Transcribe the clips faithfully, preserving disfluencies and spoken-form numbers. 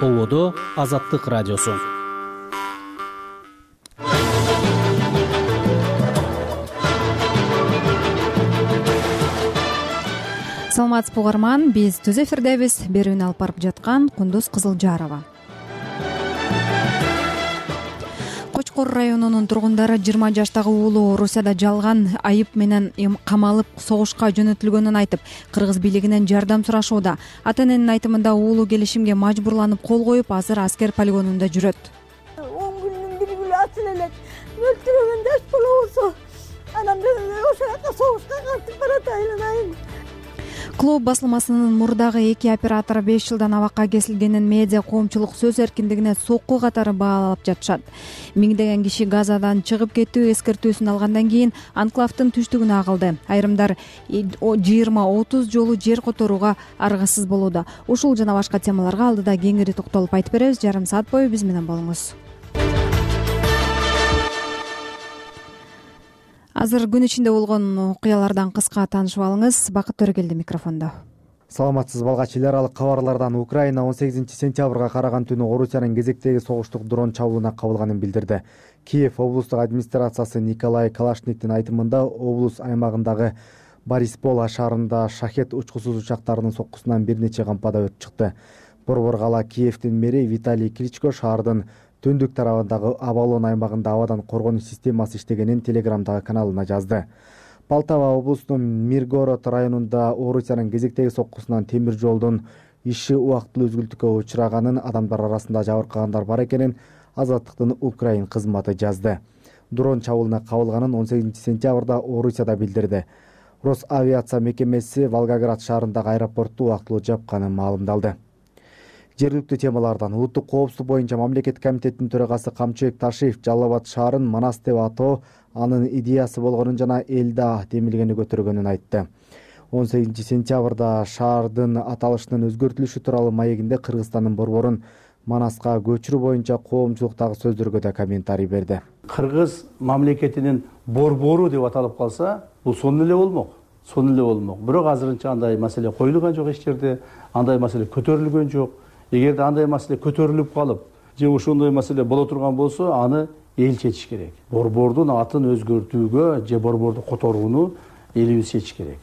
Ободо Азаттык радиосу. Саламатсызбы угарман, биз түз эфирдебиз. Берүүнү алып барып жаткан Кундуз Кызылжарова. Кочкор районунун тургундары жыйырма жаштагы уулу Орусияда жалган айып менен камалып согушка жөнөтүлгөнүн айтып, кыргыз бийлигинен жардам сурашууда. Ата-эненин айтымында уулу келишимге мажбурланып кол коюп, азыр аскер полигонунда жүрөт. он күндүн бир күнү ачыл элек өлтүрөгөн даш болобосо анан ошол жака согушка катып баратайын айын. Клуб басылмасынын мурдагы эки оператору беш жылдан абакка кесилгенин медиа коомчулук сөз эркиндигине сокку катары баалап жатышат. Миңдеген киши Газадан чыгып кетүү эскертүүсүн алгандан кийин анклавдын түштүгүнө агылды. Айрымдар жыйырма отуз жолу жер которууга аргасыз болууда. Ушул жана башка темаларга алдыда кеңири токтолуп айтып беребиз. Жарым саат бою биз менен болуңуз. Азыр күн ичинде болгон окуялардан кыска таанышып алыңыз. Бакыт Төрөгелди микрофондо. Саламатсызбы алгач, эл аралык кабарлардан Украина он сегизинчи сентябрга караган түнү Орусиянын кезектеги согуштук дрон чабуулуна кабылганын билдирди. Киев облустук администрациясы Николай Калашниктин айтымында облус аймагындагы Бориспола шаарында шахет учкусуз учактарынын соккусунан бир нече кампада өрт чыкты. Борбор кала Киевдин мэри Виталий Кличко шаардын түндүк тарабындагы Абалон аймагында абадан коргонуш системасы иштегенин Телеграмдагы каналына жазды. Полтава облусунун Миргород районунда Орусиянын кезектеги соккусунан темир жолдун иши убактылуу үзгүлтүккө учураганын, адамдар арасында жабыркагандар бар экенин Азаттыктын Украин кызматы жазды. Дрон чабуулуна кабылганын он сегизинчи сентябрда Орусияда билдирди. Росавиация мекемеси Волгоград шаарындагы аэропортту убактылуу жапканын маалымдалды. Жергиликтүү темалардан улуттук коопсуздук боюнча мамлекеттик комитеттин төрагасы Камчыбек Ташиев Жалал Абад шаарын Манас деп атоо анын идеясы болгонун жана элде демилгени көтөргөнүн айтты. он сегизинчи сентябрда шаардын аталышынын өзгөртүлүшү тууралуу маегинде Кыргызстандын борборун Манаска көчүрүү боюнча коомчулуктагы сөздөргө да комментарий берди. Кыргыз мамлекетинин борбору деп аталып калса, бул сонун эле болмок. Сонун эле болмок. Бирок азырынча андай маселе коюлган жок эч жерде, андай маселе көтөрүлгөн жок. Эгерде андай маселе көтөрүлүп калып, же ошондой маселе боло турган болсо, аны эл чечиш керек. Борбордун атын өзгөртүүгө же борборду которууну элибиз чечиш керек.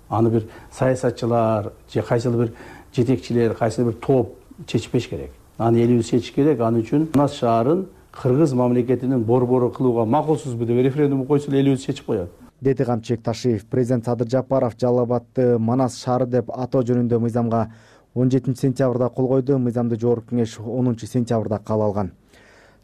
Аны бир саясатчылар же кайсыл бир жетекчилер, кайсыл бир топ чечпеш керек. Аны элибиз чечиш керек. Аны үчүн Манас шаарын Кыргыз мамлекетинин борбору кылууга макулсузбу деп референдум койсо элибиз чечип коет, деди Камчыбек Ташиев. Президент Садыр Жапаров Жалал Абадты Манас шаары деп атоо жөнүндө мыйзамга он жетинчи сентябрда кол койду. Мыйзамды жогорку кеңеш онунчу сентябрда кабыл алган.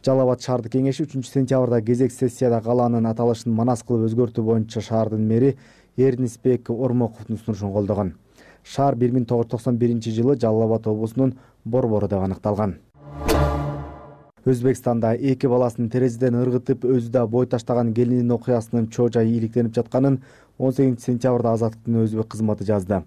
Жалал Абад шаардык кеңеши үчүнчү сентябрда кезек сессияда калаанын аталышын Манас кылып өзгөртүү боюнча шаардын мэри Эрнисбек Ормоковдун сунушун колдогон. Шаар бир миң тогуз жүз токсон биринчи жылы Жалал Абад облусунун борбору деп аныкталган. Өзбекстанда эки баласын терезеден ыргытып өзү да бой таштаган келиндин окуясынын чоо жайы иликтенип жатканын он сегизинчи сентябрда Азаттыктын өзбек кызматы жазды.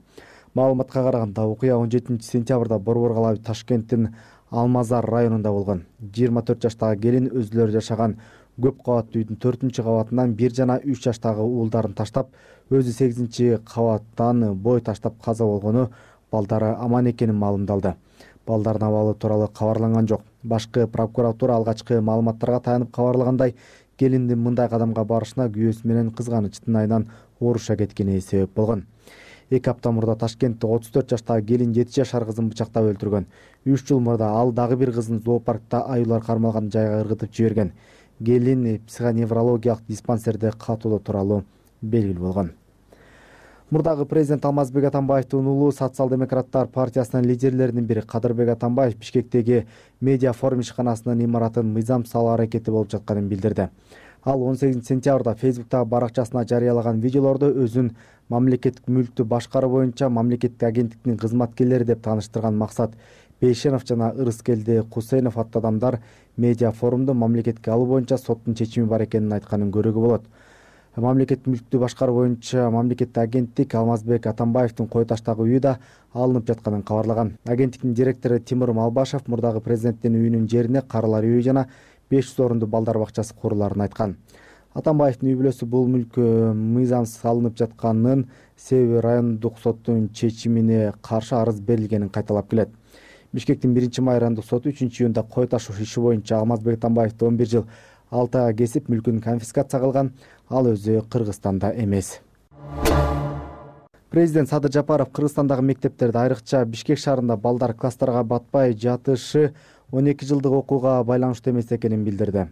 Маалыматка караганда окуя он жетинчи сентябрда Борбор кала Ташкенттин Алмазар районунда болгон. жыйырма төрт жаштагы келин өзүлөрү жашаган көп кабаттуу үйдүн төртүнчү кабатынан бир жана үч жаштагы уулдарын таштап, өзү сегизинчи кабаттан бой таштап каза болгону, балдары аман экенин маалымдалды. Балдардын абалы тууралуу кабарланган жок. Башкы прокуратура алгачкы маалыматтарга таянып кабарлагандай, келиндин мындай кадамга барышына күйөөсү менен кызганычтын айынан ооруша кеткени себеп болгон. эки апта мурда Ташкентте отуз төрт жаштагы келин жети жашар кызын бычактап өлтүргөн. үч жыл мурда ал дагы бир кызын зоопаркта аюулар кармалган жайга ыргытып жиберген. Келин психоневрологиялык диспансерде катуулоо тууралуу белгилүү болгон. Мурдагы президент Алмазбек Атамбаевдин уулу Социал-демократтар партиясынын лидерлеринин бири Кадырбек Атамбаев Бишкектеги медиа форум ишканасынын имаратын мыйзам салуу аракети болуп жатканын билдирди. Ал он сегизинчи сентябрда Фейсбуктагы баракчасына жарыялаган видеолордо өзүн мамлекеттик мүлктү башкаруу боюнча мамлекеттик агенттиктин кызматкерлери деп тааныштырган Максат Бейшенов жана Ырыскелди Кусейнов аттуу адамдар медиа форумду мамлекетке алуу боюнча соттун чечими бар экенин айтканын көрүүгө болот. Мамлекеттик мүлктү башкаруу боюнча мамлекеттик агенттик Алмазбек Атамбаевдин кой таштагы үйү да алынып жатканын кабарлаган. Агенттиктин директору Тимур Малбашев мурдагы президенттин үйүнүн жерине карылар үйү жана беш жүз орунду балдар бакчасы куруларын айткан. Атамбаевдин үй бүлөсү бул мүлккө мыйзам салынып жатканын, себеби райондук соттун чечимине каршы арыз берилгенин кайталап келет. Бишкектин биринчи майрандык соту үчүнчү июнда кой ташуу иши боюнча Алмазбек Атамбаевди он бир жыл алты айга кесип мүлкүн конфискация кылган. Ал өзү Кыргызстанда эмес. Президент Садыр Жапаров Кыргызстандагы мектептерде, айрыкча Бишкек шаарында балдар класстарга батпай жатышы он эки жылдык окууга байланыштуу эмес экенин билдирди.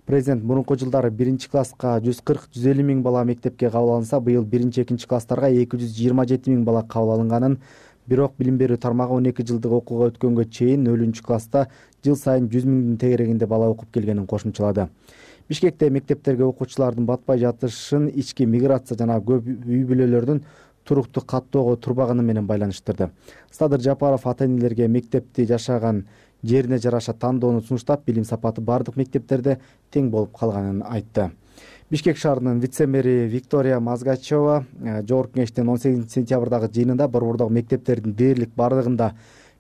Президент мурунку жылдары биринчи класска жүз кырк жүз элүү миң бала мектепке кабыл алынса, быйыл биринчи экинчи класстарга эки жүз жыйырма жети миң бала кабыл алынганын, бирок билим берүү тармагы он эки жылдык окууга өткөнгө чейин нөлүнчү класста жыл сайын жүз миңдин тегерегинде бала окуп келгенин кошумчалады. Бишкекте мектептерге окуучулардын батпай жатышын ички миграция жана көп үй бүлөлөрдүн туруктуу каттоого турбаганы менен байланыштырды. Садыр Жапаров ата-энелерге мектепти жашаган жерине жараша тандоону сунуштап, билим сапаты бардык мектептерде тең болуп калганын айтты. Бишкек шаарынын вице-мэри Виктория Мазгачева жогорку кеңештин он сегизинчи сентябрдагы жыйынында борбордогу мектептердин дээрлик бардыгында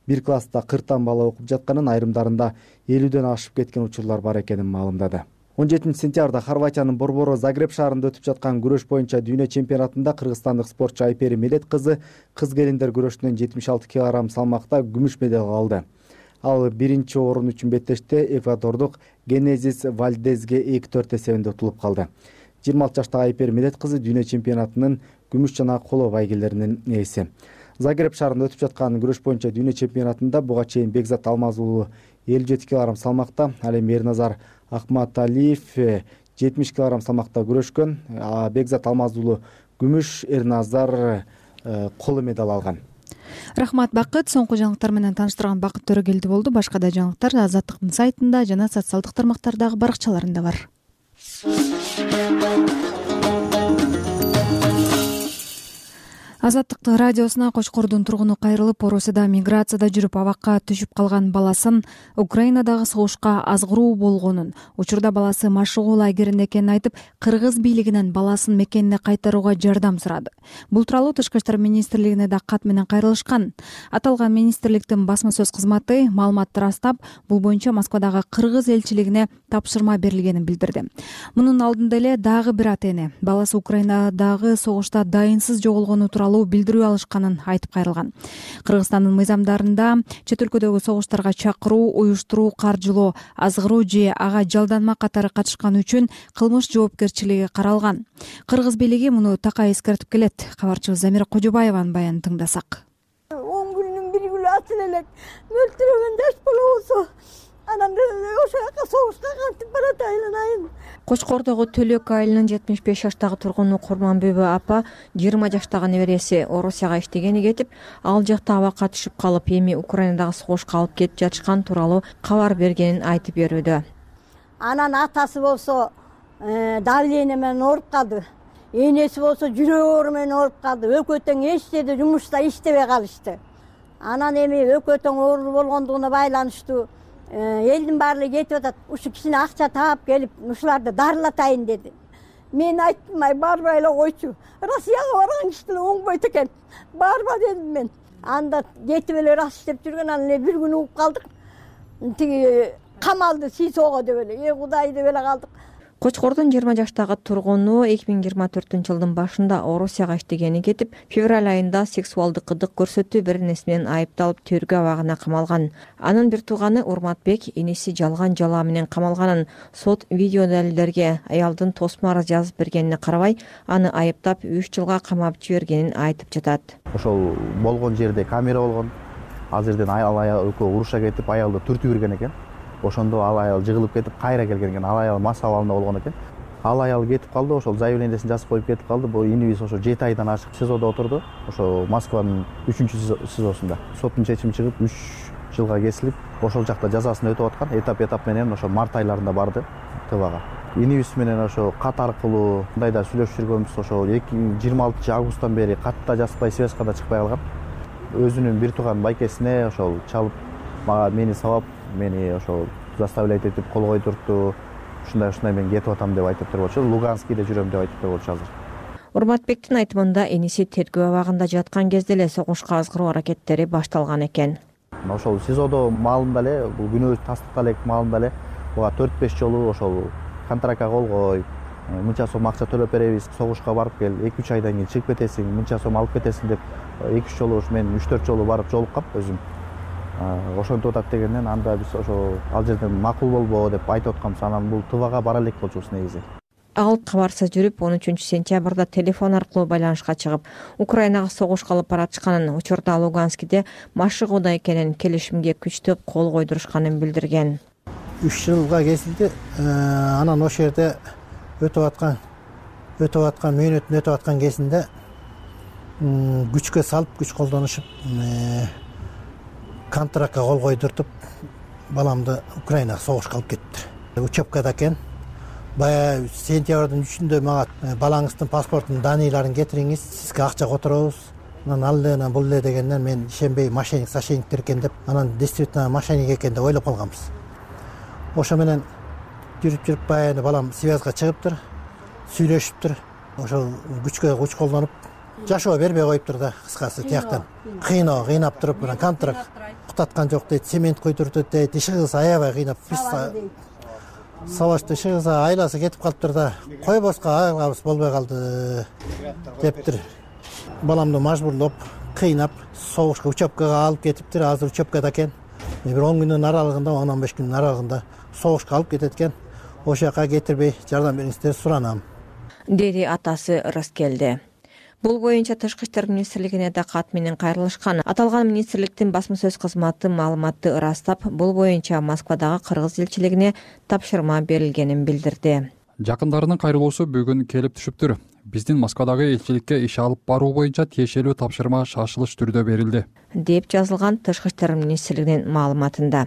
бир класста кырктан бала окуп жатканын, айрымдарында элүүдөн ашып кеткен учурлар бар экенин маалымдады. он жетинчи сентябрда Хорватиянын борбору Загреб шаарында өтүп жаткан күрөш боюнча дүйнө чемпионатында кыргызстандык спортчу Айпери Медет кызы кыз келиндер күрөшүнөн жетимиш алты килограмм салмакта күмүш медаль алды. Ал биринчи орун үчүн беттеште эквадордук Генезис Вальдезге эки төрт эсебинде утулуп калды. жыйырма алты жаштагы Айпери Медет кызы дүйнө чемпионатынын күмүш жана коло байгелеринин ээси. Загреб шаарында өтүп жаткан күрөш боюнча дүйнө чемпионатында буга чейин Бекзат Алмаз уулу элүү жети килограмм салмакта, ал эми Эрназар Акматалиев жетимиш килограмм салмакта күрөшкөн. Бекзат Алмаз уулу күмүш, Эрназар коло медаль алган. Рахмат, Бакыт. Соңку жаңылыктар менен тааныштырган Бакыт Төрөгелди болду. Башка да жаңылыктар Азаттыктын сайтында жана социалдык тармактардагы баракчаларында бар. Азаттык радиосуна Кочкордун тургуну кайрылып, Орусияда миграцияда жүрүп абакка түшүп калган баласын Украинадагы согушка азгыруу болгонун, учурда баласы машыгуу лагеринде экенин айтып, кыргыз бийлигинен баласын мекенине кайтарууга жардам сурады. Бул тууралуу Тышкы иштер министрлигине да кат менен кайрылышкан. Аталган министрликтин басма сөз кызматы маалыматты ырастап, бул боюнча Москвадагы кыргыз элчилигине тапшырма берилгенин билдирди. Мунун алдында эле дагы бир ата-эне баласы Украинадагы согушта дайынсыз жоголгону тууралуу билдирүү алышканын айтып кайрылган. Кыргызстандын мыйзамдарында чет өлкөдөгү согуштарга чакыруу, уюштуруу, каржылоо, азгыруу же ага жалданма катары катышкан үчүн кылмыш жоопкерчилиги каралган. Кыргыз бийлиги муну такай эскертип келет. Кабарчыбыз Замира Кожобаеванын баянын тыңдасак. он күнүн бир күнү атып элек өлтүргөн жаш бала болсо, анан ошол жака согушка кантип барат айланайын. Кочкордогу Төлөк айылынын жетимиш беш жаштагы тургуну Курманбүбү апа жыйырма жаштагы небереси Орусияга иштегени кетип, ал жакта абакка түшүп калып, эми Украинадагы согушка алып кетип жатышкан тууралуу кабар бергенин айтып берүүдө. Анан атасы болсо давление менен ооруп калды. Энеси болсо жүрөк оору менен ооруп калды. Экөө тең эч жерде жумушта иштебей калышты. Анан эми экөө тең оору болгондугуна байланыштуу элдин баары кетип атат. Ушу кичине акча таап келип, ушуларды дарылатайын деди. Мен айттым, ай барбай эле койчу. Россияга барган киши деле оңбойт экен. Барба дедим мен. Анда жетип эле рас иштеп жүргөн, анан эле бир күн угуп калдык. Тиги камалды СИЗОго деп эле, э Кудай деп эле калдык. Кочкордун жыйырма жаштагы тургуну эки миң жыйырма төртүнчү жылдын башында Орусияга иштегени кетип, февраль айында сексуалдык кыдык көрсөтүү беренеси менен айыпталып төргө абагына камалган. Анын бир тууганы Урматбек иниси жалган жалаа менен камалганын, сот видео далилдерге аялдын тосмо арыз жазып бергенине карабай, аны айыптап үч жылга камап жибергенин айтып жатат. Ошол болгон жерде камера болгон. Ал жерден аял аял экөө уруша кетип, аялды түртүп берген экен. Ошондо ал аял жыгылып кетип, кайра келген экен. Ал аял мас абалында болгон экен. Ал аял кетип калды, ошол заявлениесин жазып коюп кетип калды. Бул инибиз ошо жети айдан ашык СИЗОдо отурду. Ошо Москванын үчүнчү СИЗОсунда. Соттун чечими чыгып үч жылга кесилип, ошол жакта жазасын өтүп аткан. Этап-этап менен ошо март айларында барды ТВга. Инибиз менен ошо кат аркылуу мындайда сүйлөшүп жүргөнбүз. Ошо эки миң жыйырма алтынчы августтан бери катта жазбай, связка да чыкпай калган. Өзүнүн бир тууган байкесине ошол чалып, мага мени сабап, мени ошол заставлять этип кол койдуртту. Ушундай ушундай мен кетип атам деп айтып турчу. Луганскийде жүрөм деп айтып турчу азыр. Урматбектин айтымында эниси тергөө абагында жаткан кезде эле согушка азгыруу аракеттери башталган экен. Ошол СИЗОдо маалында эле, бул күнөө тастыкта элек маалында эле буга төрт беш жолу ошол контрактка кол кой, мынча сом акча төлөп беребиз, согушка барып кел, эки үч айдан кийин чыгып кетесиң, мынча сом алып кетесиң деп эки үч жолу мен үч төрт жолу барып жолуккам өзүм. ошентип атат дегенден анда биз ошо ал жерден макул болбогу деп айтып атканбыз. Анан бул Тывага бара элек болчубуз негизи. Ал кабарсыз жүрүп он үчүнчү сентябрда телефон аркылуу байланышка чыгып, Украинага согушка алып баратышканын, учурда Луганскиде машыгууда экенин, келишимге күчтөп кол койдурушканын билдирген. үч жылга кесилди. Анан ошол жерде өтүп аткан өтүп аткан мөөнөтүн өтүп аткан кезинде күчкө салып, күч колдонушуп контрактка кол койдуртуп, баламды Украинага согушка алып кетти. Учебкада экен. Бая сентябрдын үчүндө мага балаңыздын паспортунун даныйларын кетириңиз, сизге акча которобуз. Анан ал эле, анан бул эле дегенден мен ишенбей, мошенник, сошенниктер экен деп, анан действительно мошенник экен деп ойлоп калганбыз. Ошо менен жүрүп жүрүп баягы балам связга чыгыптыр, сүйлөшүптүр. Ошо күчкө күч колдонуп, жашоо бербей коюптур да, кыскасы тияктан. Кыйноо, кыйнап туруп, анан контракт кутаткан жок дейт, цемент куйдуртут дейт, иши кылса аябай кыйнап, биз сабашты иши кылса айласы кетип калыптыр да, койбоска айылабыз болбой калды дептир. Баламды мажбурлоп, кыйнап, согушка, учебкага алып кетиптир. Азыр учебкада экен. Бир он күндүн аралыгында, он беш күндүн аралыгында согушка алып кетет экен. Ошол жака кетирбей жардам бериңиздер суранам, деди атасы Рыскелди. Бул боюнча Тышкы иштер министрлигине да кат менен кайрылышкан. Аталган министрликтин басма сөз кызматы маалыматты ырастап, бул боюнча Москвадагы кыргыз элчилигине тапшырма берилгенин билдирди. Жакындарынын кайрылуусу бүгүн келип түшүптүр. Биздин Москвадагы элчиликке иш алып баруу боюнча тиешелүү тапшырма шашылыш түрдө берилди, деп жазылган Тышкы иштер министрлигинин маалыматында.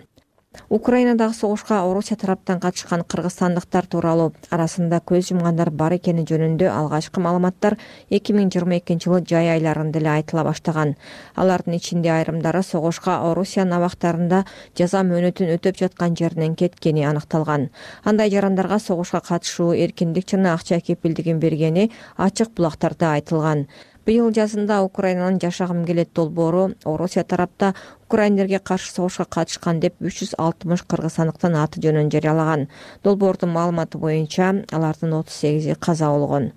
Украинадагы согушка Орусия тараптан катышкан кыргызстандыктар тууралуу арасында көз жумгандар бар экени жөнүндө алгачкы маалыматтар эки миң жыйырма экинчи жылы жай айларында эле айтыла баштаган. Алардын ичинде айрымдары согушка Орусиянын абактарында жаза мөөнөтүн өтөп жаткан жеринен кеткени аныкталган. Андай жарандарга согушка катышуу эркиндик жана акча кепилдигин бергени ачык булактарда айтылган. Быйыл жазында Украинанын жашагым келет долбоору Орусия тарапта украиндерге каршы согушка катышкан деп үч жүз алтымыш кыргызстандыктын аты жөнүн жарыялаган. Долбоордун маалыматы боюнча алардын отуз сегизи каза болгон.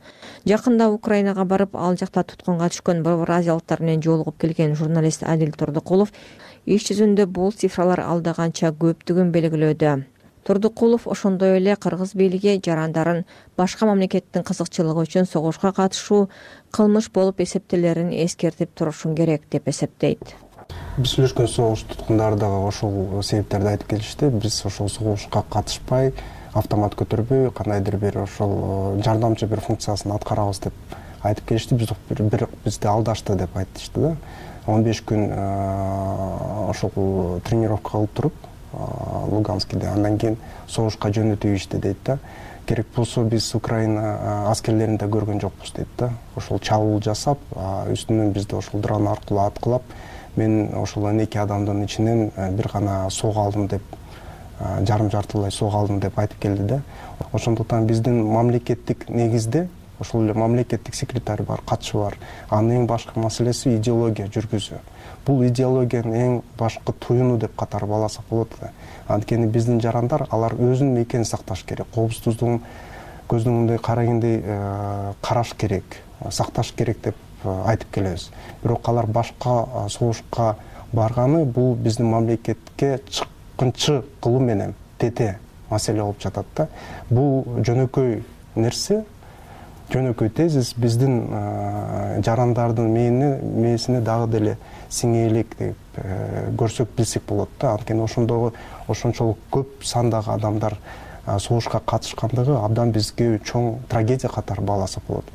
Жакында Украинага барып, ал жакта туткунга түшкөн евразиялыктар менен жолугуп келген журналист Адил Турдукулов иш жүзүндө бул цифралар алда канча көптүгүн белгилөөдө. Турдукулов ошондой эле кыргыз бийлиги жарандарын башка мамлекеттин кызыкчылыгы үчүн согушка катышуу кылмыш болуп эсептелерин эскертип турушун керек деп эсептейт. Биз сүйлөшкөн согуш туткундары дагы ошол себептерди айтып келишти. Биз ошол согушка катышпай, автомат көтөрбөй, кандайдыр бир ошол жардамчы бир функциясын аткарабыз деп айтып келишти. Биз бир бизди алдашты деп айтышты да. он беш күн ошол тренировка кылып туруп Луганскиде, андан кийин согушка жөнөтүү ишти дейт да. Керек болсо биз Украина аскерлерин да көргөн жокпуз дейт да. Ошол чабуул жасап, үстүнөн бизди ошол дрон аркылуу аткылап, мен ошол он эки адамдын ичинен бир гана сого алдым деп, жарым жартылай сого алдым деп айтып келди да. Ошондуктан биздин мамлекеттик негизде ошол эле мамлекеттик секретарь бар, катчы бар. Анын эң башкы маселеси идеология жүргүзүү. Бул идеологиянын эң башкы туюну деп катары баласак болот да. Анткени биздин жарандар алар өзүнүн мекенин сакташ керек, коопсуздугун көздүн мындай карагендей караш керек, сакташ керек деп айтып келебиз. Бирок алар башка согушка барганы бул биздин мамлекетке чыккынчы кылуу менен тете маселе болуп жатат да. Бул жөнөкөй нерсе, жөнөкөй тезис биздин жарандардын мээсине дагы деле сиңээлик деп көрсөк билсек болот да. Анткени ошондогу ошончолук көп сандагы адамдар согушка катышкандыгы абдан бизге чоң трагедия катары бааласак болот.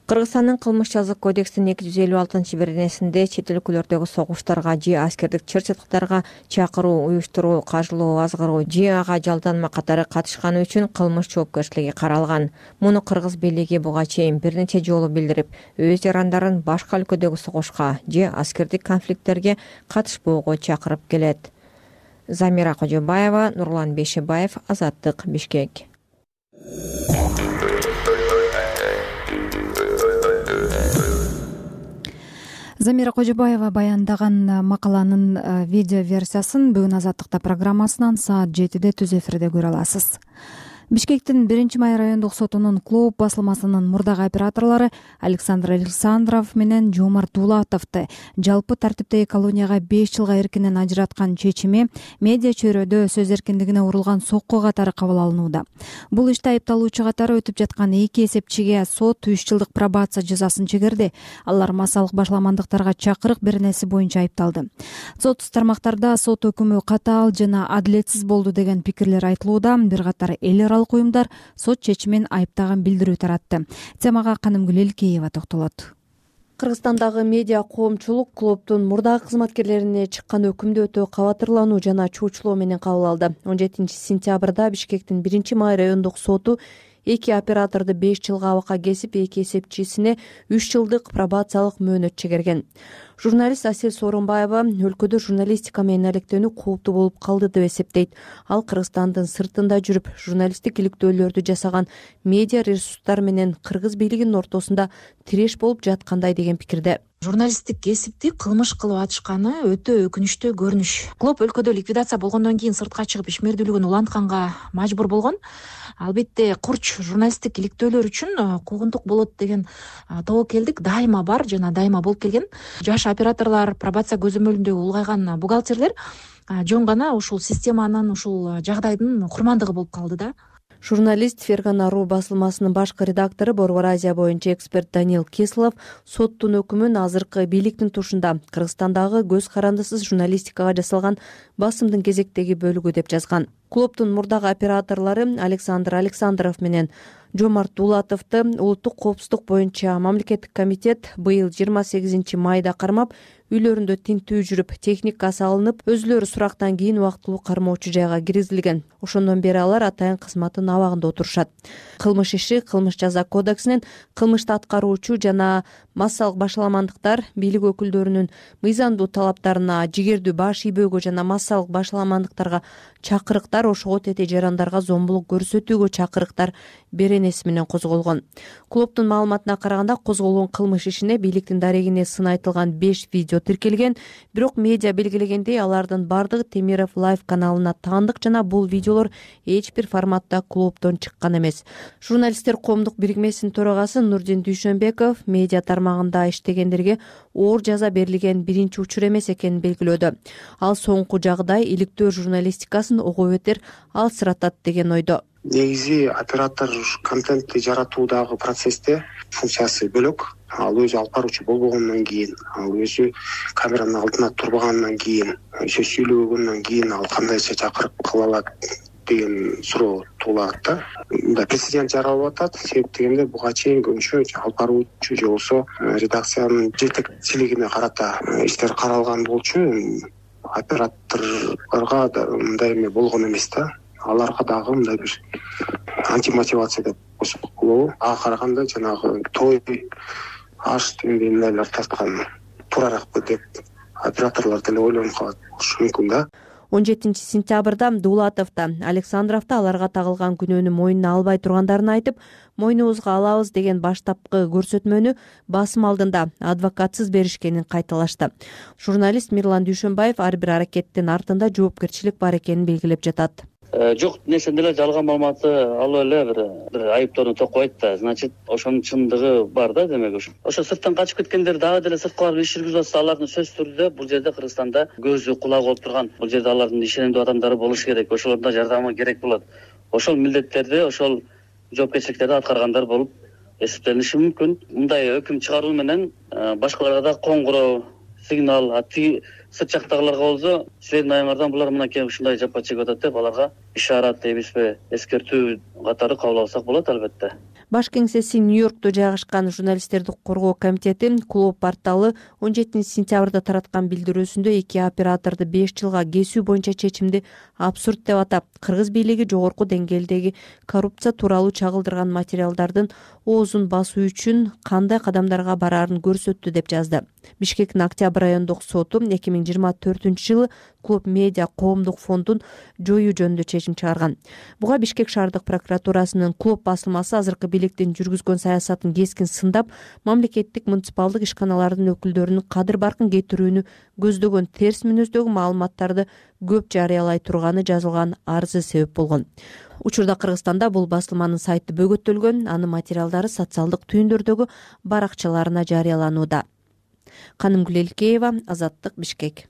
Кыргызстандын кылмыш жазык кодексинин эки жүз элүү алтынчы беренесинде чет өлкөлөрдөгү согуштарга же аскердик чыр-чатыктарга чакыруу, уюштуруу, кажылоо, азгыруу же ага жалданма катары катышканы үчүн кылмыш жоопкерчилиги каралган. Муну кыргыз бийлиги буга чейин бир нече жолу билдирип, өз жарандарын башка өлкөдөгү согушка же аскердик конфликттерге катышпоого чакырып келет. Замира Кожобаева, Нурлан Бейшебаев, Азаттык, Бишкек. Замира Кожобаева баяндаган макаланын видео версиясын бүгүн Азаттыкта программасынан саат жетиде түз эфирде көрө аласыз. Бишкектин биринчи май райондук сотунун клуб басылмасынын мурдагы операторлору Александр Александров менен Жомарт Дулатовду жалпы тартиптеги колонияга беш жылга эркинен ажыраткан чечими медиа чөйрөдө сөз эркиндигине урулган сокку катары кабыл алынууда. Бул иште айыпталуучу катары өтүп жаткан эки эсепчиге сот үч жылдык пробация жазасын чегерди. Алар массалык башаламандыктарга чакырык беренеси боюнча айыпталды. Сотсуз тармактарда сот өкүмү катаал жана адилетсиз болду деген пикирлер айтылууда. Бир катар эл аралык уюмдар сот чечимин айыптаган билдирүү таратты. Темага Канымгүл Элкеева токтолот. Кыргызстандагы медиа коомчулук клубдун мурдагы кызматкерлерине чыккан өкүмдү өтө кабатырлануу жана чуучулоо менен кабыл алды. он жетинчи сентябрда Бишкектин биринчи май райондук соту эки операторду беш жылга абакка кесип, эки эсепчисине үч жылдык пробациялык мөөнөт чегерген. Журналист Асель Сооронбаева өлкөдө журналистика менен алектенүү кооптуу болуп калды деп эсептейт. Ал Кыргызстандын сыртында жүрүп, журналисттик иликтөөлөрдү жасаган медиа ресурстар менен кыргыз бийлигинин ортосунда тиреш болуп жаткандай деген пикирде. Журналисттик кесипти кылмыш кылып атышканы өтө өкүнүчтүү көрүнүш. Клуб өлкөдө ликвидация болгондон кийин сыртка чыгып ишмердүүлүгүн улантканга мажбур болгон. Албетте курч журналисттик иликтөөлөр үчүн куугунтук болот деген тобокелдик дайыма бар жана дайыма болуп келген. Жаш операторлор, пробация көзөмөлүндө улгайган бухгалтерлер жөн гана ушул системанын, ушул жагдайдын курмандыгы болуп калды да. Журналист Фергана Ру басылмасынын башкы редактору, Борбор Азия боюнча эксперт Даниил Кислов соттун өкүмүн азыркы бийликтин тушунда Кыргызстандагы көз карандысыз журналистикага жасалган басымдын кезектеги бөлүгү деп жазган. Клубдун мурдагы операторлору Александр Александров менен Жомарт Дулатовду улуттук коопсуздук боюнча мамлекеттик комитет быйыл жыйырма сегизинчи майда кармап, үйлөрүндө тинтүү жүрүп, техника салынып, өзүлөрү сурактан кийин убактылуу кармоочу жайга киргизилген. Ошондон бери алар атайын кызматтын абагында отурушат. Кылмыш иши Кылмыш жаза кодексинин кылмышты аткаруучу жана массалык башаламандыктар бийлик өкүлдөрүнүн мыйзамдуу талаптарына, жигердүү баш ийбөөгө жана массалык башаламандыктарга чакырыктар, ошого тете жарандарга зомбулук көрсөтүүгө чакырыктар беренеси менен козголгон. Клубдун маалыматына караганда, козголгон кылмыш ишине бийликтин дарегине сын айтылган беш видео тиркелген, бирок медиа белгилегендей алардын бардыгы Темиров Лайв каналына таандык жана бул видеолор эч бир форматта клубдон чыккан эмес. Журналисттер коомдук бирикмесинин төрагасы Нурдин Дүйшөнбеков медиа тармагында иштегендерге оор жаза берилген биринчи учур эмес экенин белгилөөдө. Ал соңку жагдай иликтөө журналистикасын ого бетер алсыратат деген ойдо. Негизи оператор контентти жаратуудагы процессте функциясы бөлөк. Ал өзү алып баруучу болбогондон кийин, ал өзү камеранын алдына турбагандан кийин, сөз сүйлөгөндөн кийин ал кандайча чакырып кыла алат деген суроо туулат да. Мындай прецедент жаралып атат. Себеп дегенде буга чейин көбүнчө алып баруучу же болбосо редакциянын жетекчилигине карата иштер каралган болчу. Операторлорго мындай эме болгон эмес да. Аларга дагы мындай бир антимотивация деп койсок болобу? Ага караганда жанагы той, аш дегендейлер тарткан туураракпы деп операторлор деле ойлонуп калат болушу мүмкүн да. он жетинчи сентябрда Дулатов да, Александров да аларга тагылган күнөөнү мойнуна албай тургандарын айтып, мойнубузга алабыз деген баштапкы көрсөтмөнү басым алдында адвокатсыз беришкенин кайталашты. Журналист Мирлан Дүйшөнбаев ар бир аракеттин артында жоопкерчилик бар экенин белгилеп жатат. Жок нерсени деле жалган маалыматты алып эле бир бир айыптоону токойт да. Значит, ошонун чындыгы бар да, демек ошо. Ошо сырттан качып кеткендер дагы деле сырткы барып иш жүргүзүп атса, алардын сөзсүз түрдө бул жерде Кыргызстанда көзү кулагы болуп турган, бул жерде алардын ишенимдүү адамдары болушу керек. Ошолордун да жардамы керек болот. Ошол милдеттерди, ошол жоопкерчиликтерди аткаргандар болуп эсептелиши мүмкүн. Мындай өкүм чыгаруу менен башкаларга да коңгуроо, сигнал, ати сырт жактагыларга болсо, силердин айыңардан булар мынакей ушундай жапа чегип атат деп аларга ишарат дейбизби, эскертүү катары кабыл алсак болот албетте. Баш кеңсеси Нью-Йоркто жайгашкан журналисттерди коргоо комитети клуб порталы он жетинчи сентябрда тараткан билдирүүсүндө эки операторду беш жылга кесүү боюнча чечимди абсурд деп атап, кыргыз бийлиги жогорку деңгээлдеги коррупция тууралуу чагылдырган материалдардын оозун басуу үчүн кандай кадамдарга бараарын көрсөттү деп жазды. Бишкектин Октябрь райондук соту эки миң жыйырма төртүнчү жылы Клуб Медиа коомдук фондун жоюу жөнүндө чечим чыгарган. Буга Бишкек шаардык прокуратурасынын Клуб басылмасы азыркы бийликтин жүргүзгөн саясатын кескин сындап, мамлекеттик муниципалдык ишканалардын өкүлдөрүнүн кадыр баркын кетирүүнү көздөгөн терс мүнөздөгү маалыматтарды көп жарыялай турганы жазылган арызы себеп болгон. Учурда Кыргызстанда бул басылманын сайты бөгөттөлгөн, анын материалдары социалдык түйүндөрдөгү баракчаларына жарыяланууда. Канымгүл Элкеева, Азаттык, Бишкек.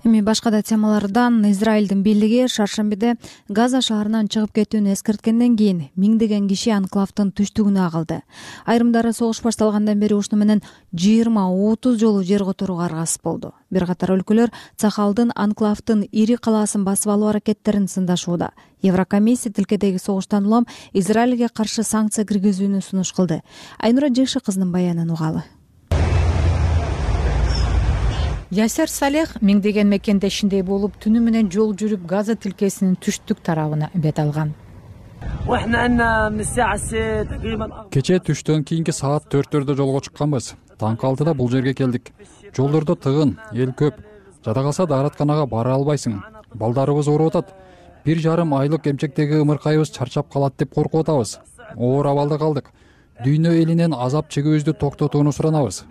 Эми башка да темалардан Израилдин бийлиги шаршембиде Газа шаарынан чыгып кетүүнү эскерткенден кийин миңдеген киши анклавдын түштүгүнө агылды. Айрымдары согуш башталгандан бери ушуну менен жыйырма отуз жолу жер которууга аргасыз болду. Бир катар өлкөлөр Цахалдын анклавдын ири калаасын басып алуу аракеттерин сындашууда. Еврокомиссия тилкедеги согуштан улам Израилге каршы санкция киргизүүнү сунуш кылды. Айнура Жекши кызынын баянын угалы. Ясер Салех миңдеген мекендешиндей болуп, түнү менен жол жүрүп Газа тилкесинин түштүк тарабына бет алган. Кечээ түштөн кийинки саат төрттөрдө жолго чыкканбыз. Таңкы алтыда бул жерге келдик. Жолдордо тыгын, эл көп. Жада калса дааратканага бара албайсың. Балдарыбыз ооруп атат. Бир жарым айлык эмчектеги ымыркайыбыз чарчап калат деп коркуп атабыз. Оор абалда калдык. Дүйнө элинен азап чегүүбүздү токтотууну суранабыз.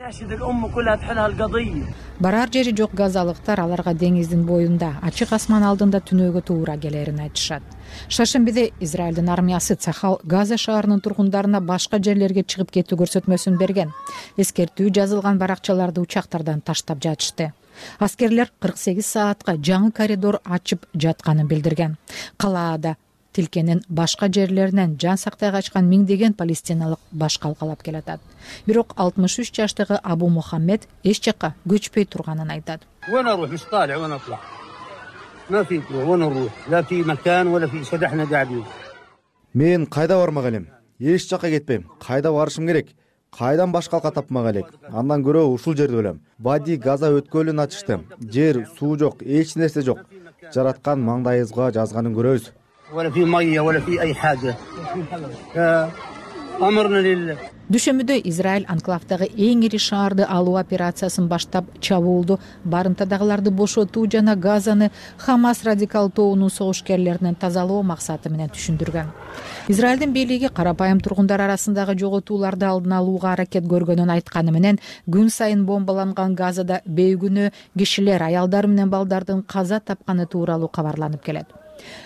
Барар жери жок газалыктар аларга деңиздин боюнда, ачык асман алдында түнөөгө туура келерин айтышат. Шаршембиде Израилдин армиясы Цахал Газа шаарынын тургундарына башка жерлерге чыгып кетүү көрсөтмөсүн берген. Эскертүү жазылган баракчаларды учактардан таштап жатышты. Аскерлер кырк сегиз саатка жаңы коридор ачып жатканын билдирген. Калаада тилкенин башка жерлеринен жан сактай качкан миңдеген палестиналык баш калкалап келатат. Бирок алтымыш үч жаштагы Абу Мухаммед эч жакка көчпөй турганын айтат. Мен кайда бармак элем? Эч жакка кетпейм. Кайда барышым керек? Кайдан баш калка тапмак элек? Андан көрө ушул жерде өлөм. Вади Газа өткөлүн ачышты. Жер, суу жок, эч нерсе жок. Жараткан маңдайыбызга жазганын көрөбүз. Дүшөмүдө Израиль анклавдагы эң ири шаарды алуу операциясын баштап, чабуулду барымтадагыларды бошотуу жана Газаны Хамас радикал тобунун согушкерлеринен тазалоо максаты менен түшүндүргөн. Израилдин бийлиги карапайым тургундар арасындагы жоготууларды алдын алууга аракет көргөнүн айтканы менен, күн сайын бомбаланган Газада бейгүнөө кишилер, аялдар менен балдардын каза тапканы тууралуу кабарланып келет.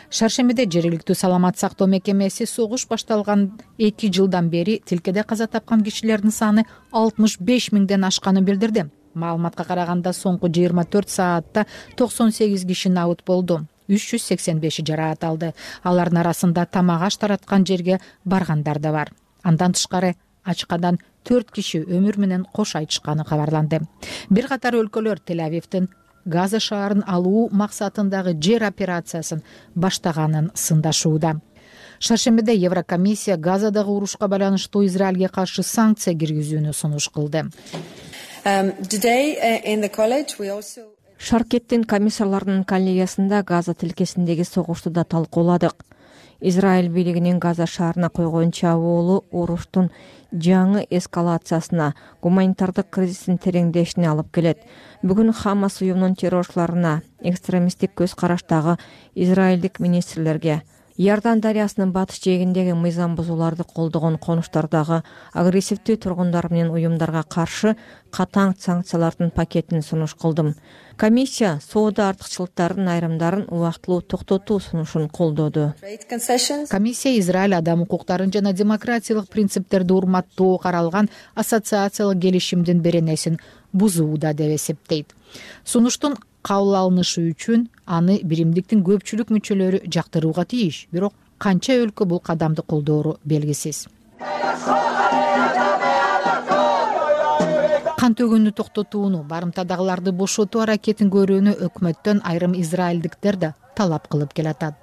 Шаршембиде жергиликтүү саламат сактоо мекемеси согуш башталган эки жылдан бери тилкеде каза тапкан кишилердин саны алтымыш беш миңден ашканын билдирди. Маалыматка караганда соңку жыйырма төрт саатта токсон сегиз киши набыт болду. үч жүз сексен беши жараат алды. Алардын арасында тамак аш тараткан жерге баргандар да бар. Андан тышкары ачкадан төрт киши өмүр менен кош айтышканы кабарланды. Бир катар өлкөлөр Тель-Авивдин Газа шаарын алуу максатындагы жер операциясын баштаганын сындашууда. Шаршембиде Еврокомиссия Газадагы урушка байланыштуу Израилге каршы санкция киргизүүнү сунуш кылды. Шаркеттин комиссарларынын коллегиясында Газа тилкесиндеги согушту да талкууладык. Израиль бийлигинин Газа шаарына койгон чабуулу уруштун жаңы эскалациясына, гуманитардык кризистин тереңдешине алып келет. Бүгүн Хамас уюмунун террорчуларына, экстремисттик көз караштагы израилдик министрлерге, Иордан дарыясынын батыш жээгиндеги мыйзам бузууларды колдогон конуштардагы агрессивдүү тургундар менен уюмдарга каршы катаң санкциялардын пакетин сунуш кылдым. Комиссия соода артыкчылыктарынын айрымдарын убактылуу токтотуу сунушун колдоду. Комиссия Израиль адам укуктарын жана демократиялык принциптерди урматтоо каралган ассоциациялык келишимдин беренесин бузууда деп эсептейт. Сунуштун кабыл алынышы үчүн аны биримдиктин көпчүлүк мүчөлөрү жактырууга тийиш, бирок канча өлкө бул кадамды колдоору белгисиз. Кан төгүүнү токтотууну, барымтадагыларды бошотуу аракетин көрүүнү өкмөттөн айрым израилдиктер да талап кылып келатат.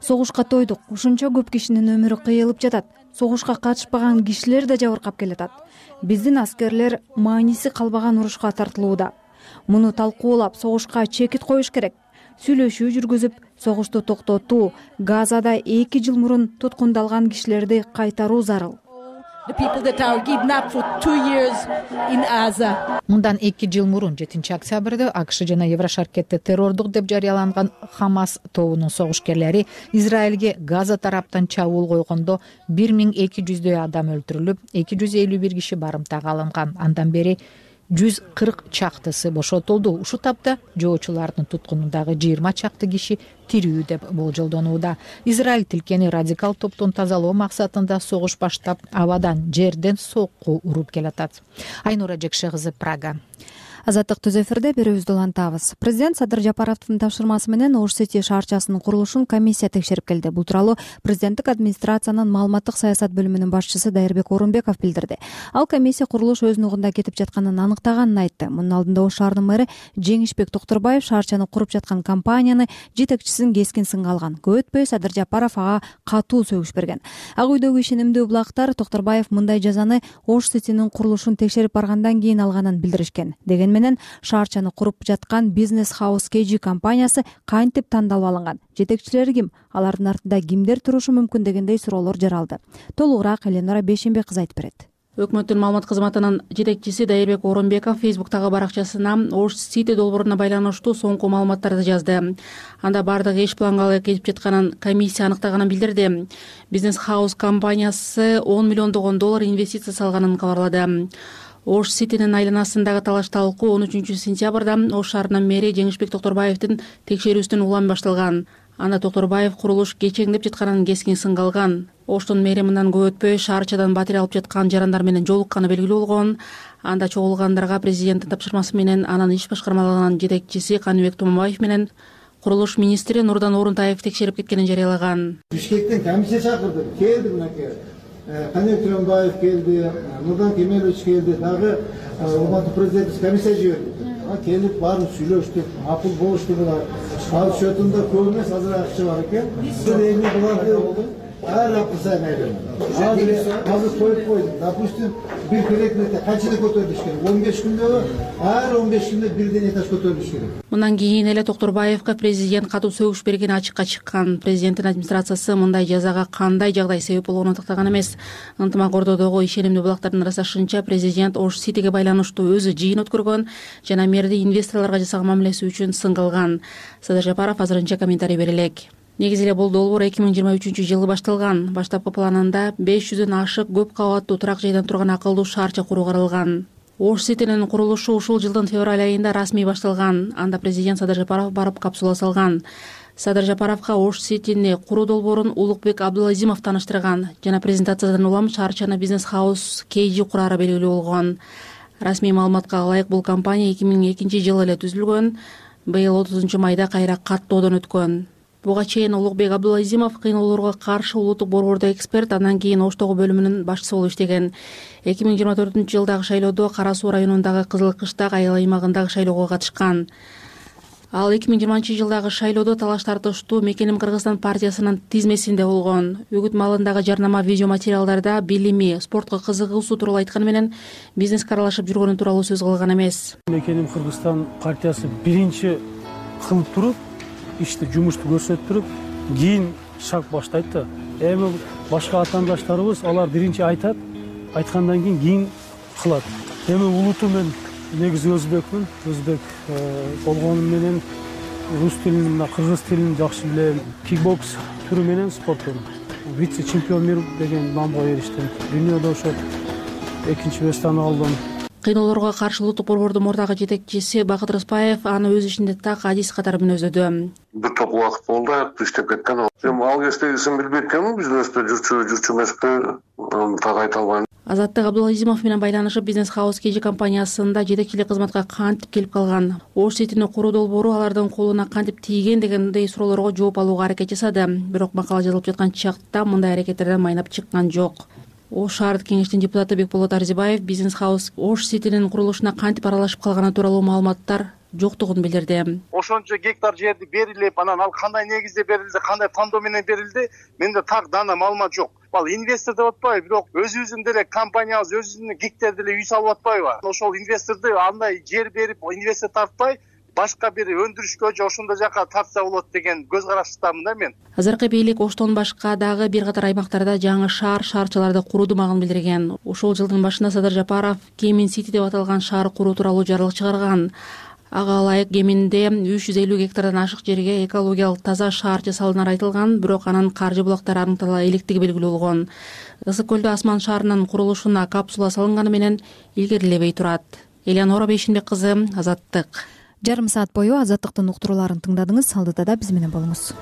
Согушка тойдук. Ушунча көп кишинин өмүрү кыйылып жатат. Согушка катышпаган кишилер да жабыркап келатат. Биздин аскерлер мааниси калбаган урушка тартылууда. Муну талкуулап, согушка чекит коюш керек. сүйлөшүү жүргүзүп, согушту токтотуу, Газада эки жыл мурун туткундалган кишилерди кайтаруу зарыл. Мындан эки жыл мурун жетинчи октябрда АКШ жана Еврошаркетте террордук деп жарыяланган Хамас тобунун согушкерлери Израилге Газа тараптан чабуул койгондо бир миң эки жүздөй адам өлтүрүлүп, эки жүз элүү бир киши барымтага алынган. Андан бери жүз кырк чактысы бошотулду. Ушул тапта жоочулардын туткунундагы жыйырма чакты киши тирүү деп болжолдонууда. Израиль тилкени радикал топтон тазалоо максатында согуш баштап, абадан, жерден сокку уруп келатат. Айнура Жекше кызы, Прага. Азаттык түз эфирде берүүбүздү улантабыз. Президент Садыр Жапаровдун тапшырмасы менен Ош-Сити шаарчасынын курулушун комиссия текшерип келди. Бул тууралуу президенттик администрациянын маалыматтык саясат бөлүмүнүн башчысы Дайырбек Орунбеков билдирди. Ал комиссия курулуш өз нугунда кетип жатканын аныктаганын айтты. Мунун алдында Ош шаарынын мэрі Жеңишбек Токтурбаев шаарчаны куруп жаткан компанияны жетекчисин кескин сынга алган. Көп өтпөй Садыр Жапаров ага катуу сөгүш берген. Ак үйдөгү ишенимдүү булактар Токтурбаев мындай жазаны Ош-Ситинин курулушун текшерип баргандан кийин алганын билдиришкен. Деген менен шаарчаны куруп жаткан Бизнес Хаус кей жи компаниясы кантип тандалып алынган, жетекчилери ким, алардын артында кимдер турушу мүмкүн дегендей суроолор жаралды. Толугураак Эленора Бейшенбек кызы айтып берет. Өкмөттүн маалымат кызматынын жетекчиси Дайырбек Орунбеков Фейсбуктагы баракчасына Ош-Сити долбооруна байланыштуу соңку маалыматтарды жазды. Анда бардыгы эч планга ылайык кетип жатканын комиссия аныктаганын билдирди. Бизнес Хаус компаниясы он миллиондогон доллар инвестиция салганын кабарлады. Ош-Ситинин айланасындагы талаш талкуу он үчүнчү сентябрда Ош шаарынын мэри Жеңишбек Токтурбаевдин текшерүүсүнөн улам башталган. Анда Токтурбаев курулуш кечеңдеп жатканын кескин сынга алган. Оштун мэри мындан көп өтпөй шаарчадан батирей алып жаткан жарандар менен жолукканы белгилүү болгон. Анда чогулгандарга президенттин тапшырмасы менен анын иш башкармалыгынын жетекчиси Каныбек Тумабаев менен курулуш министри Нурдан Орунтаев текшерип кеткенин жарыялаган. Бишкектен комиссия чакырды, келди мынакей. Каныбек Тумабаев келди, Нурдан Кемелович келди, дагы урматтуу президент комиссия жиберди. Келип баарын сүйлөштүк, макул болушту булар. Ал счетунда көп эмес, азыр акча бар экен. Бир эми буларды ар апта сайын айрым. Азыр коюп койдум. Допустим, бир керекмете канчада көтөрүлүш керек? он беш күндө, ар он беш күндө бирден этаж көтөрүлүш керек. Мындан кийин эле Токтурбаевга президент катуу сөгүш бергени ачыкка чыккан. Президенттин администрациясы мындай жазага кандай жагдай себеп болгонун тактаган эмес. Ынтымак Ордодогу ишенимдүү булактардын ырасташынча президент Ош-Ситиге байланыштуу өзү жыйын өткөргөн жана мэрди инвесторлорго жасаган мамилеси үчүн сынга алган. Садыр Жапаров азырынча комментарий бере элек. Негизи эле бул долбоор эки миң жыйырма үчүнчү жылы башталган. Баштапкы планында беш жүздөн ашык көп кабаттуу турак жайдан турган акылдуу шаарча куруу каралган. Ош-Ситинин курулушу ушул жылдын февраль айында расмий башталган. Анда президент Садыр Жапаров барып капсула салган. Садыр Жапаровго Ош-Ситини куруу долбоорун Улукбек Абдулазимов тааныштырган жана презентациядан улам шаарчаны Бизнес Хаус кей жи курары белгилүү болгон. Расмий маалыматка ылайык бул компания эки миң экинчи жылы эле түзүлгөн. Быйыл отузунчу майда кайра каттоодон өткөн. Буга чейин Улукбек Абдулазимов кыйноолорго каршы улуттук борбордо эксперт, андан кийин Оштогу бөлүмүнүн башчысы болуп иштеген. эки миң жыйырма төртүнчү жылдагы шайлоодо Кара Суу районундагы Кызыл Кыштак айыл аймагындагы шайлоого катышкан. Ал эки миң жыйырманчы жылдагы шайлоодо талаш тартыштуу Мекеним Кыргызстан партиясынын тизмесинде болгон. Үгүт маалындагы жарнама видео материалдарда билими, спортко кызыгуусу тууралуу айтканы менен бизнеске аралашып жүргөнү тууралуу сөз кылган эмес. Мекеним Кыргызстан партиясы биринчи кылып туруп, ишти жумушту көрсөтүп туруп, кийин шаг баштайт да. Эми башка атаандаштарыбыз алар биринчи айтат, айткандан кийин кийин кылат. Эми улуту мен негизи өзбекмин, өзбек болгонум менен рус тилин, мына кыргыз тилин жакшы билем. Кикбокс түрү менен спорттон вице-чемпион мир деген наамга эриштим. Дүйнөдө ошо экинчи местени алдым. Кыйноолорго каршы улуттук борбордун мурдагы жетекчиси Бакыт Рыспаев аны өз ишинде так адис катары мүнөздөдү. Бир топ убакыт болду, аякты иштеп кеткен. Эми ал кездегисин билбейт экенмин, бизнесте жүрчү жүрчү эмеспи, так айта албайм. Азаттык Абдулазимов менен байланышып Бизнес Хаус кей жи компаниясында жетекчилик кызматка кантип келип калган, Ош-Ситини куруу долбоору алардын колуна кантип тийген дегендей суроолорго жооп алууга аракет жасады. Бирок макала жазылып жаткан чакта мындай аракеттерден майнап чыккан жок. Ош шаардык кеңештин депутаты Бекболот Арзибаев Бизнес Хаус Ош-Ситинин курулушуна кантип аралашып калганы тууралуу маалыматтар жоктугун билдирди. Ошончо гектар жерди берилип, анан ал кандай негизде берилди, кандай тандоо менен берилди, менде так дана маалымат жок. Ал инвестор деп атпайбы, бирок өзүбүздүн деле компаниябыз өзүнүн гектар деле үй салып атпайбы? Ошол инвесторду андай жер берип, инвестор тартпай, башка бир өндүрүшкө же ошондой жака тартса болот деген көз караштамын да мен. Азыркы бийлик Оштон башка дагы бир катар аймактарда жаңы шаар шаарчаларды курууду магын билдирген. Ушул жылдын башында Садыр Жапаров Кемин Сити деп аталган шаар куруу тууралуу жарлык чыгарган. Ага ылайык Кеминде үч жүз элүү гектардан ашык жерге экологиялык таза шаар жасалынары айтылган, бирок анын каржы булактары аныктала электиги белгилүү болгон. Ысык көлдө Асман шаарынын курулушуна капсула салынганы менен илгерилебей турат. Элеонора Бейшинбек кызы, Азаттык. Жарым саат бою Азаттыктын уктурууларын тыңдадыңыз. Алдыда да биз менен болуңуз.